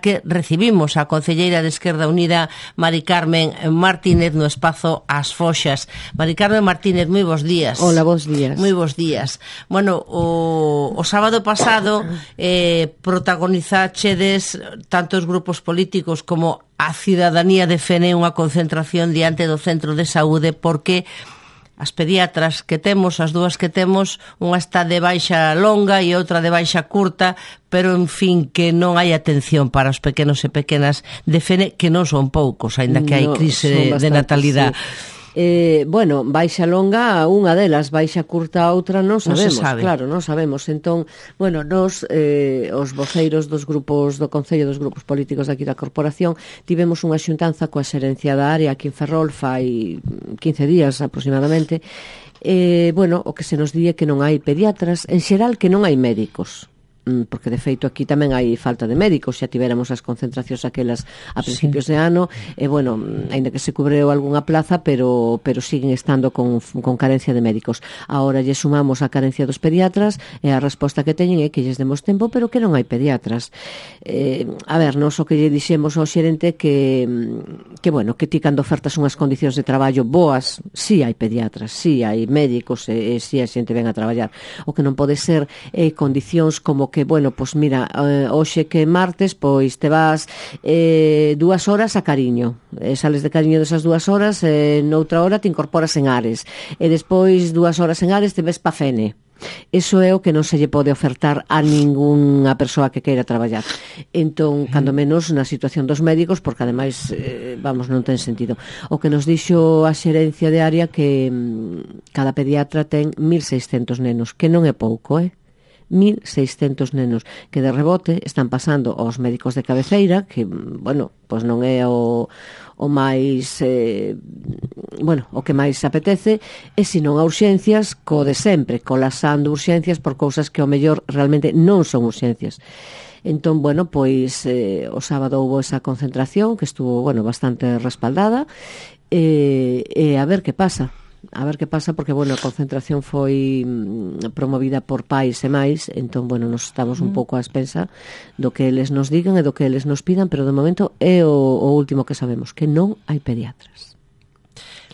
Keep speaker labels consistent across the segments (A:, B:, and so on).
A: porque recibimos a concelleira de Esquerda Unida, Mari Carmen Martínez, no espazo As Foxas. Mari Carmen Martínez, moi bons días.
B: Hola, bons días.
A: Moi bons días. Bueno, o sábado pasado protagonizachedes tanto os grupos políticos como a cidadanía de Fene unha concentración diante do centro de saúde porque as pediatras que temos, as dúas que temos, unha está de baixa longa e outra de baixa curta, pero, en fin, que non hai atención para os pequenos e pequenas de Fene, que non son poucos, aínda que hai crise de natalidade.
B: Sí. Bueno, baixa longa unha delas, baixa curta outra non sabemos, claro, non sabemos. Entón, bueno, nos os voceiros dos grupos do Concello, dos grupos políticos aquí da Corporación, tivemos unha xuntanza coa xerencia da área aquí en Ferrol fai 15 días aproximadamente. Bueno, o que se nos di é que non hai pediatras, en xeral que non hai médicos, porque de feito aquí tamén hai falta de médicos, xa tivéramos as concentracións aquelas a principios de ano, e bueno, aínda que se cubreu algunha plaza, pero siguen estando con carencia de médicos. Ahora lle sumamos a carencia dos pediatras, e a resposta que teñen é que lles demos tempo, pero que non hai pediatras. A ver, nos o que lle dixemos ao xerente que bueno, que ti cando ofertas unhas condicións de traballo boas, si hai pediatras, si hai médicos, e si a xente ven a traballar. O que non pode ser condicións como que, bueno, pois mira, hoxe que martes, pois te vas 2 horas a Cariño, sales de Cariño desas 2 horas, noutra hora te incorporas en Ares, e despois 2 horas en Ares te ves pa Fene. Eso é o que non se lle pode ofertar a ningunha persoa que queira traballar. Entón, cando menos na situación dos médicos, porque ademais, vamos, non ten sentido. O que nos dixo a xerencia de área que cada pediatra ten 1.600 nenos, que non é pouco, 1.600 nenos que de rebote están pasando aos médicos de cabeceira, que, bueno, pois non é o máis bueno, o que máis apetece, e senón a urxencias co de sempre, colapsando urxencias por cousas que ao mellor realmente non son urxencias. Entón, bueno, pois o sábado houve esa concentración que estuvo, bueno, bastante respaldada, e a ver que pasa. Porque, bueno, a concentración foi promovida por pais e máis, entón, bueno, nos estamos un pouco á expensa do que eles nos digan e do que eles nos pidan, pero de momento é o último que sabemos, que non hai pediatras.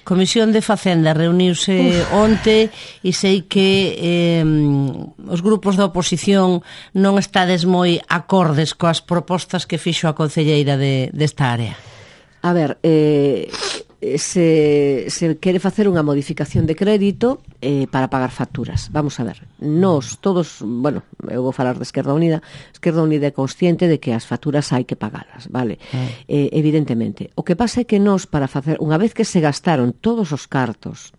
A: Comisión de Facenda reuniuse onte e sei que os grupos da oposición non estades moi acordes coas propostas que fixo a concelleira desta área.
B: A ver, se quere facer unha modificación de crédito para pagar facturas. Vamos a ver, nós todos, bueno, eu vou falar de Esquerda Unida é consciente de que as facturas hai que pagalas, vale? Evidentemente. O que pasa é que nós, para facer, unha vez que se gastaron todos os cartos,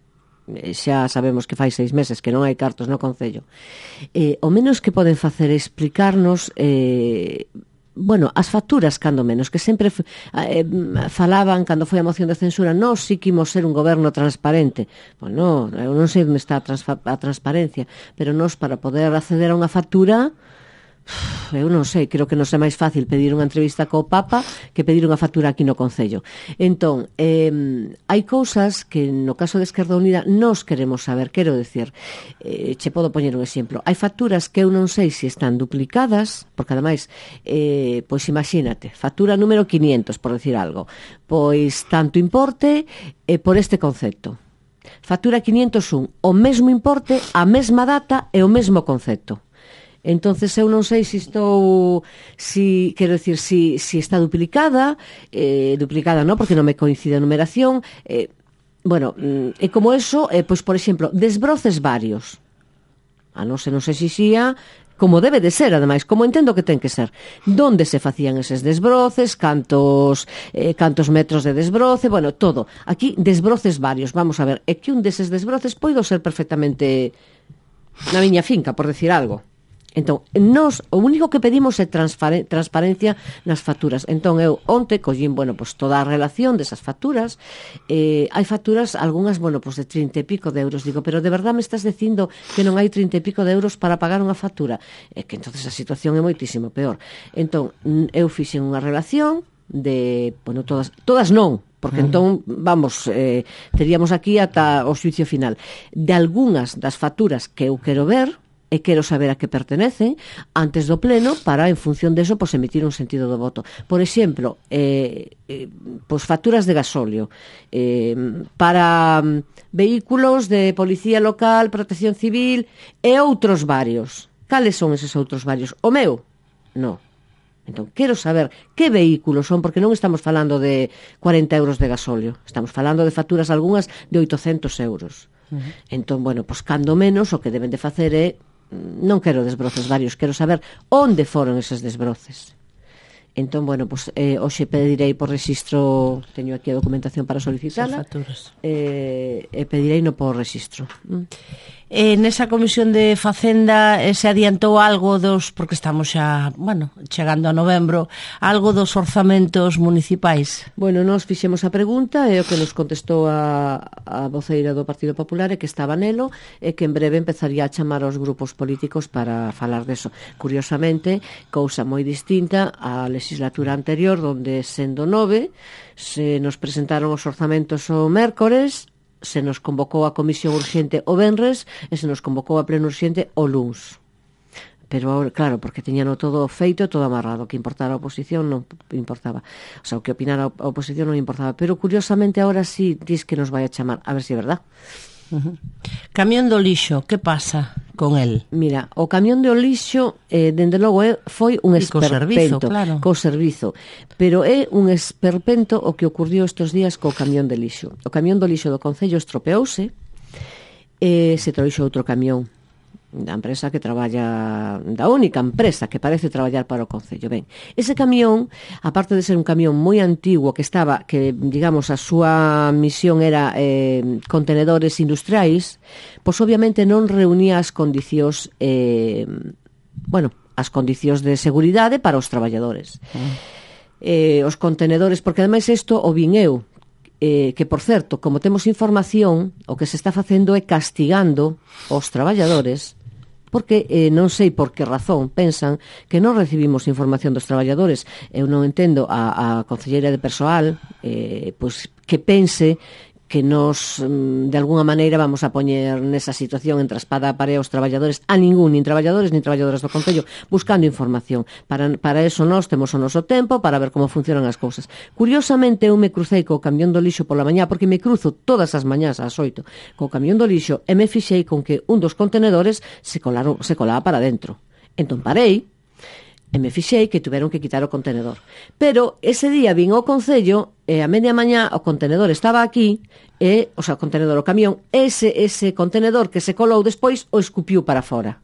B: xa sabemos que fai 6 meses que non hai cartos no Concello, o menos que poden facer é explicarnos bueno, as facturas, cando menos, que sempre falaban, cando foi a moción de censura, nós sí que imos ser un goberno transparente. Bueno, eu non sei onde está a transparencia, pero nós, para poder acceder a unha factura, eu non sei, creo que non é máis fácil pedir unha entrevista co Papa que pedir unha factura aquí no Concello. Entón, hai cousas que no caso de Esquerda Unida nós queremos saber, quero decir, che podo poñer un exemplo, hai facturas que eu non sei se están duplicadas, porque ademais, pois imagínate, factura número 500, por decir algo, pois tanto importe por este concepto. Factura 501, o mesmo importe, a mesma data e o mesmo concepto. Entonces eu non sei se quero decir, si está duplicada non, porque non me coincide a numeración, bueno, e como eso, pois, por exemplo, desbroces varios, non sei se xía, como debe de ser, ademais, como entendo que ten que ser, donde se facían eses desbroces, cantos metros de desbroce, bueno, todo, aquí desbroces varios, vamos a ver, é que un deses desbroces poido ser perfectamente na miña finca, por decir algo. Entón, nós o único que pedimos é transparencia nas facturas. Entón, eu onte collín, bueno, pois toda a relación desas facturas. Hai facturas, algunhas, bueno, pois de 30 e pico de euros. Digo, pero de verdad me estás dicindo que non hai 30 e pico de euros para pagar unha factura? É que entonces a situación é moitísimo peor. Entón, eu fixen unha relación de, bueno, todas non, porque entón, vamos, teríamos aquí ata o xuicio final, de algunhas das facturas que eu quero ver, e quero saber a que pertenecen antes do pleno para, en función deso, pois emitir un sentido do voto. Por exemplo, pois facturas de gasóleo para vehículos de policía local, protección civil e outros varios. Cales son eses outros varios? O meu? No. Entón, quero saber que vehículos son, porque non estamos falando de 40 euros de gasóleo, estamos falando de facturas algunhas de 800 euros. Entón, bueno, pois cando menos o que deben de facer é, non quero desbroces varios, quero saber onde foron eses desbroces. Entón, bueno, pois hoxe pedirei por rexistro, teño aquí a documentación para solicitala, e pedirei no por rexistro.
A: Nesa comisión de Facenda se adiantou algo porque estamos xa, chegando a novembro, algo dos orzamentos municipais?
B: Bueno, nós fixemos a pregunta e o que nos contestou a voceira do Partido Popular é que estaba nelo e que en breve empezaría a chamar aos grupos políticos para falar deso. Curiosamente, cousa moi distinta á legislatura anterior, onde sendo 9 se nos presentaron os orzamentos o mércores, se nos convocou a comisión urxente o venres e se nos convocou a pleno urxente o luns. Pero, claro, porque tiñano todo feito, todo amarrado. O que importara a oposición non importaba. O sea, o que opinara a oposición non importaba. Pero, curiosamente, ahora sí dis que nos vai a chamar. A ver se é verdad.
A: Camión do lixo, que pasa con el?
B: Mira, o camión do lixo dende logo foi un esperpento co servizo, pero é un esperpento o que ocurriu estes días co camión de lixo. O camión do lixo do Concello estropeouse e se trouxo outro camión da empresa que traballa, da única empresa que parece traballar para o Concello. Ben, ese camión, aparte de ser un camión moi antigo que digamos, a súa misión era contenedores industriais, pois obviamente non reunía as condicións as condicións de seguridade para os traballadores. Os contenedores, porque ademais isto o vin eu, que, por certo, como temos información, o que se está facendo é castigando os traballadores, porque non sei por que razón pensan que non recibimos información dos traballadores. Eu non entendo a concelleira de persoal pois que pense que nos, de alguna maneira, vamos a poñer nesa situación entre a espada e a parede aos traballadores, a ningún, nin traballadores nin traballadoras do Concello, buscando información. Para eso nós temos o noso tempo para ver como funcionan as cousas. Curiosamente, eu me crucei co camión do lixo pola mañá, porque me cruzo todas as mañás ás 8 co camión do lixo, e me fixei con que un dos contenedores se colaba para dentro. Entón parei, e me fixei que tiveron que quitar o contenedor. Pero ese día vin ao Concello e a media mañá o contenedor estaba aquí o contenedor, o camión, ese contenedor que se colou despois o escupiu para fora.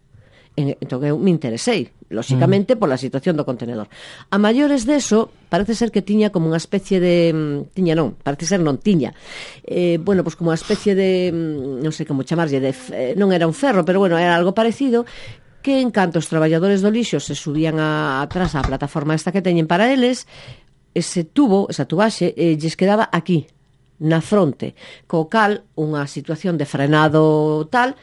B: Entón eu me interesei, lóxicamente, pola situación do contenedor. A maiores deso, parece ser que tiña como unha especie de... pois como unha especie de... non sei como chamarlle, non era un ferro, pero era algo parecido, que en canto os traballadores do lixo se subían atrás á plataforma esta que teñen para eles, esa tubaxe, lles quedaba aquí, na fronte, co cal unha situación de frenado tal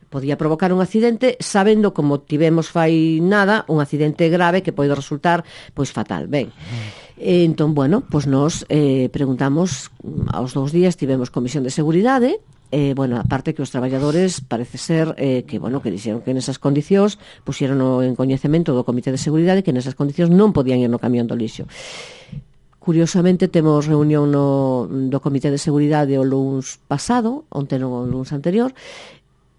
B: podía provocar un accidente, sabendo, como tivemos fai nada, un accidente grave que pode resultar pois fatal. Ben, entón, pois nos preguntamos, aos 2 días tivemos comisión de seguridade. Aparte que os traballadores parece ser que dixeron que nesas condicións puxeron en coñecemento do Comité de Seguridade que nesas condicións non podían ir no camión do lixo. Curiosamente temos reunión do Comité de Seguridade o luns pasado, onte non o luns anterior,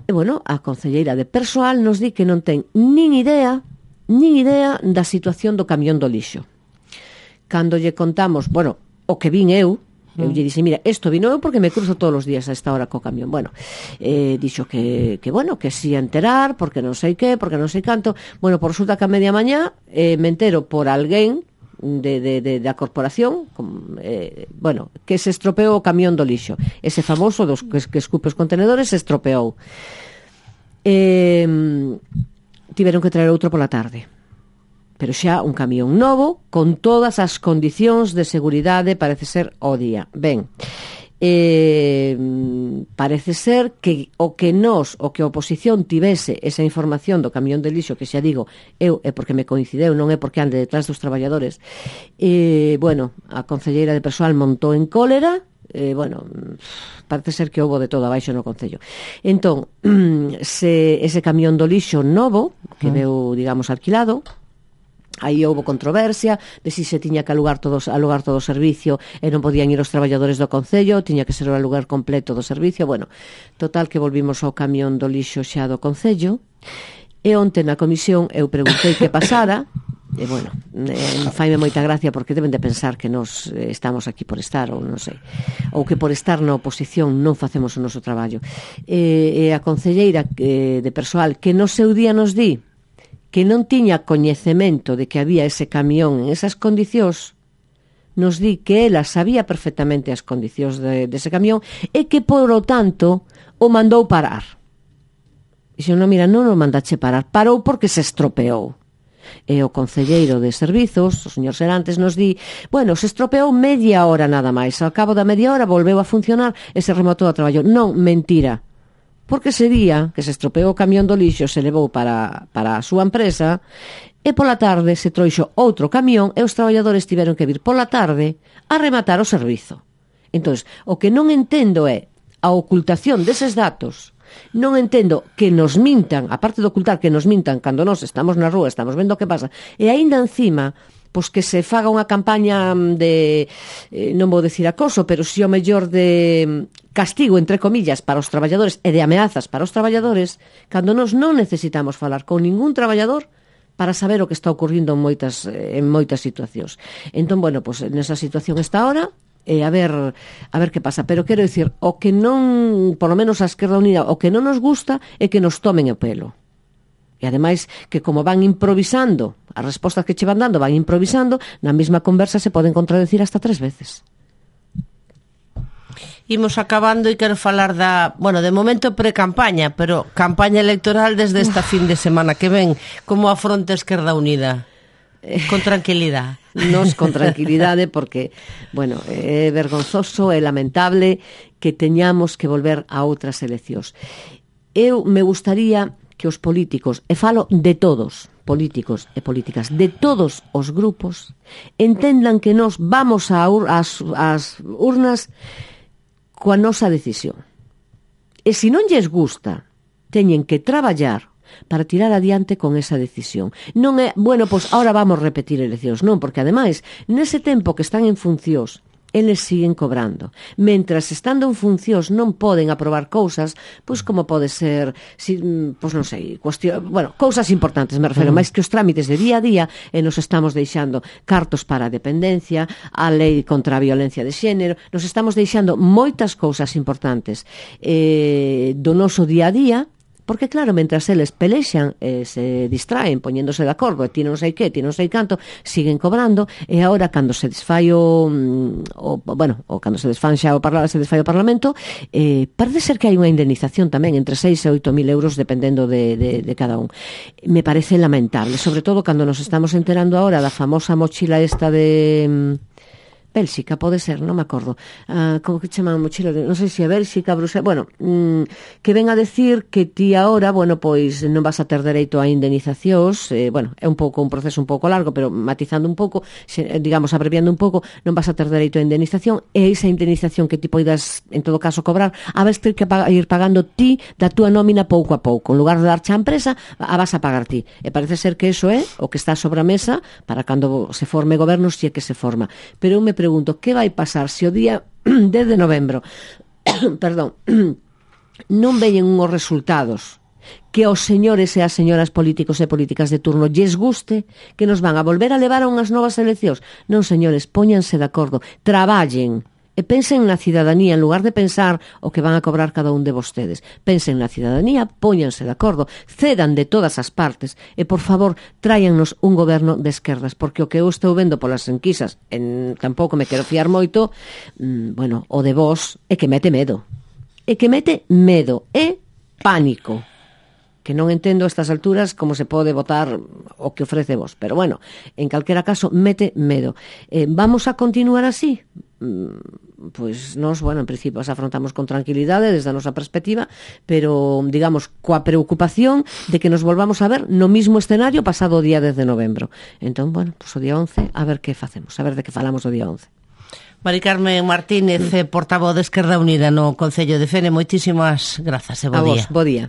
B: e a concelleira de persoal nos di que non ten nin idea da situación do camión do lixo. Cando lle contamos, o que vin eu lle dixen, mira, isto vino eu porque me cruzo todos os días a esta hora co camión. Dixo que si a enterar, porque non sei que, porque non sei canto. Por resulta que a media mañá me entero por alguén da corporación que se estropeou o camión do lixo. Ese famoso dos que escupe os contenedores se estropeou. Tiveron que traer outro pola tarde, pero xa un camión novo con todas as condicións de seguridade, parece ser o día. Ben, parece ser que o que a oposición tivese esa información do camión de lixo, que xa digo, eu é porque me coincideu, non é porque ande detrás dos traballadores. A concelleira de persoal montou en cólera, bueno, parece ser que houbo de todo abaixo no Concello. Entón, ese camión do lixo novo, que veu, digamos, alquilado, aí houbo controversia de si se tiña que alugar todo o servicio e non podían ir os traballadores do Concello, tiña que ser o alugar completo do servicio. Bueno, total que volvimos ao camión do lixo xa do Concello, e onte na comisión eu preguntei que pasara, e bueno, faime moita gracia porque deben de pensar que nos estamos aquí por estar, ou non sei, ou que por estar na oposición non facemos o noso traballo. E a concelleira de persoal que no seu día nos di que non tiña coñecemento de que había ese camión en esas condicións, nos di que ela sabía perfectamente as condicións dese camión e que, por lo tanto, o mandou parar. E se non, mira, non o mandache parar, parou porque se estropeou. E o concelleiro de servizos, o señor Serantes, nos di, bueno, se estropeou media hora nada máis, ao cabo da media hora volveu a funcionar e se rematou a traballo. Non, mentira. Porque ese día que se estropeou o camión do lixo se levou para a súa empresa e pola tarde se trouxo outro camión e os traballadores tiveron que vir pola tarde a rematar o servizo. Entón, o que non entendo é a ocultación deses datos. Non entendo que nos mintan, aparte de ocultar que nos mintan cando nós estamos na rúa, estamos vendo o que pasa, e aínda encima pois que se faga unha campaña de, non vou decir acoso, pero si o mellor de castigo, entre comillas, para os traballadores e de ameazas para os traballadores, cando nós non necesitamos falar con ningún traballador para saber o que está ocurrindo en moitas situacións. Entón, bueno, pois nesa situación está ahora, a ver que pasa. Pero quero dicir, o que non, por lo menos a Esquerda Unida, o que non nos gusta é que nos tomen o pelo. E ademais que como van improvisando, as respostas que che van dando van improvisando, na mesma conversa se poden contradecir hasta 3 veces.
A: Imos acabando e quero falar de momento pre-campaña, pero campaña electoral desde esta fin de semana que ven. Como afronta Esquerda Unida? Con tranquilidade.
B: Nos con tranquilidade porque, bueno, é vergonzoso, é lamentable que teñamos que volver a outras eleccións. Eu me gustaría que os políticos, e falo de todos, políticos e políticas, de todos os grupos, entendan que nos vamos ás urnas coa nosa decisión. E se non lles gusta, teñen que traballar para tirar adiante con esa decisión. Non é, bueno, pois ahora vamos repetir eleccións, non, porque ademais, nese tempo que están en funcións, eles siguen cobrando. Mentras estando en funcións non poden aprobar cousas, pois como pode ser, pois non sei, cousas importantes, me refero, máis que os trámites de día a día, e nos estamos deixando cartos para a dependencia, a lei contra a violencia de xénero, nos estamos deixando moitas cousas importantes do noso día a día. Porque, claro, mentras eles pelexan e se distraen poñéndose de acordo e ti non sei que, ti non sei canto, siguen cobrando, e agora, cando se desfai cando se desfai o Parlamento, parece ser que hai unha indemnización tamén entre 6 e 8 mil euros dependendo de cada un. Me parece lamentable, sobre todo cando nos estamos enterando agora da famosa mochila esta de Bélxica, pode ser, non me acordo. Como que chaman mochila? Non sei se é Bélxica, Bruselas, bueno, que ven a decir que ti agora, bueno, pois non vas a ter dereito a indemnizacións, bueno, é un proceso un pouco largo, pero matizando un pouco, digamos, abreviando un pouco, non vas a ter dereito a indemnización, e esa indemnización que ti poidas, en todo caso, cobrar, a vez ter que ir pagando ti da túa nómina pouco a pouco. En lugar de darche a empresa, a vas a pagar ti. E parece ser que eso é o que está sobre a mesa para cando se forme goberno, se é que se forma. Pero eu me pregunto, que vai pasar se o día 10 de novembro perdón, non veñen unhos resultados que aos señores e as señoras políticos e políticas de turno lles guste, que nos van a volver a levar a unhas novas eleccións? Non, señores, póñanse de acordo, traballen e pensen na cidadanía, en lugar de pensar o que van a cobrar cada un de vostedes. Pensen na cidadanía, póñanse de acordo, cedan de todas as partes e, por favor, tráiannos un goberno de esquerdas, porque o que eu estou vendo polas enquisas, tampouco me quero fiar moito, bueno, o de vos é que mete medo. É que mete medo, é pánico. Que non entendo a estas alturas como se pode votar o que ofrece vos, pero bueno, en calquera caso mete medo. Vamos a continuar así? Pois nós, bueno, en principio as afrontamos con tranquilidade desde a nosa perspectiva, pero, digamos, coa preocupación de que nos volvamos a ver no mismo escenario pasado o día 10 de novembro. Entón, bueno, pois o día 11, a ver que facemos, a ver de que falamos o día 11.
A: Mari Carmen Martínez, portavoz de Esquerda Unida no Concello de Fene, moitísimas grazas e bo día.
B: A vos, bo día.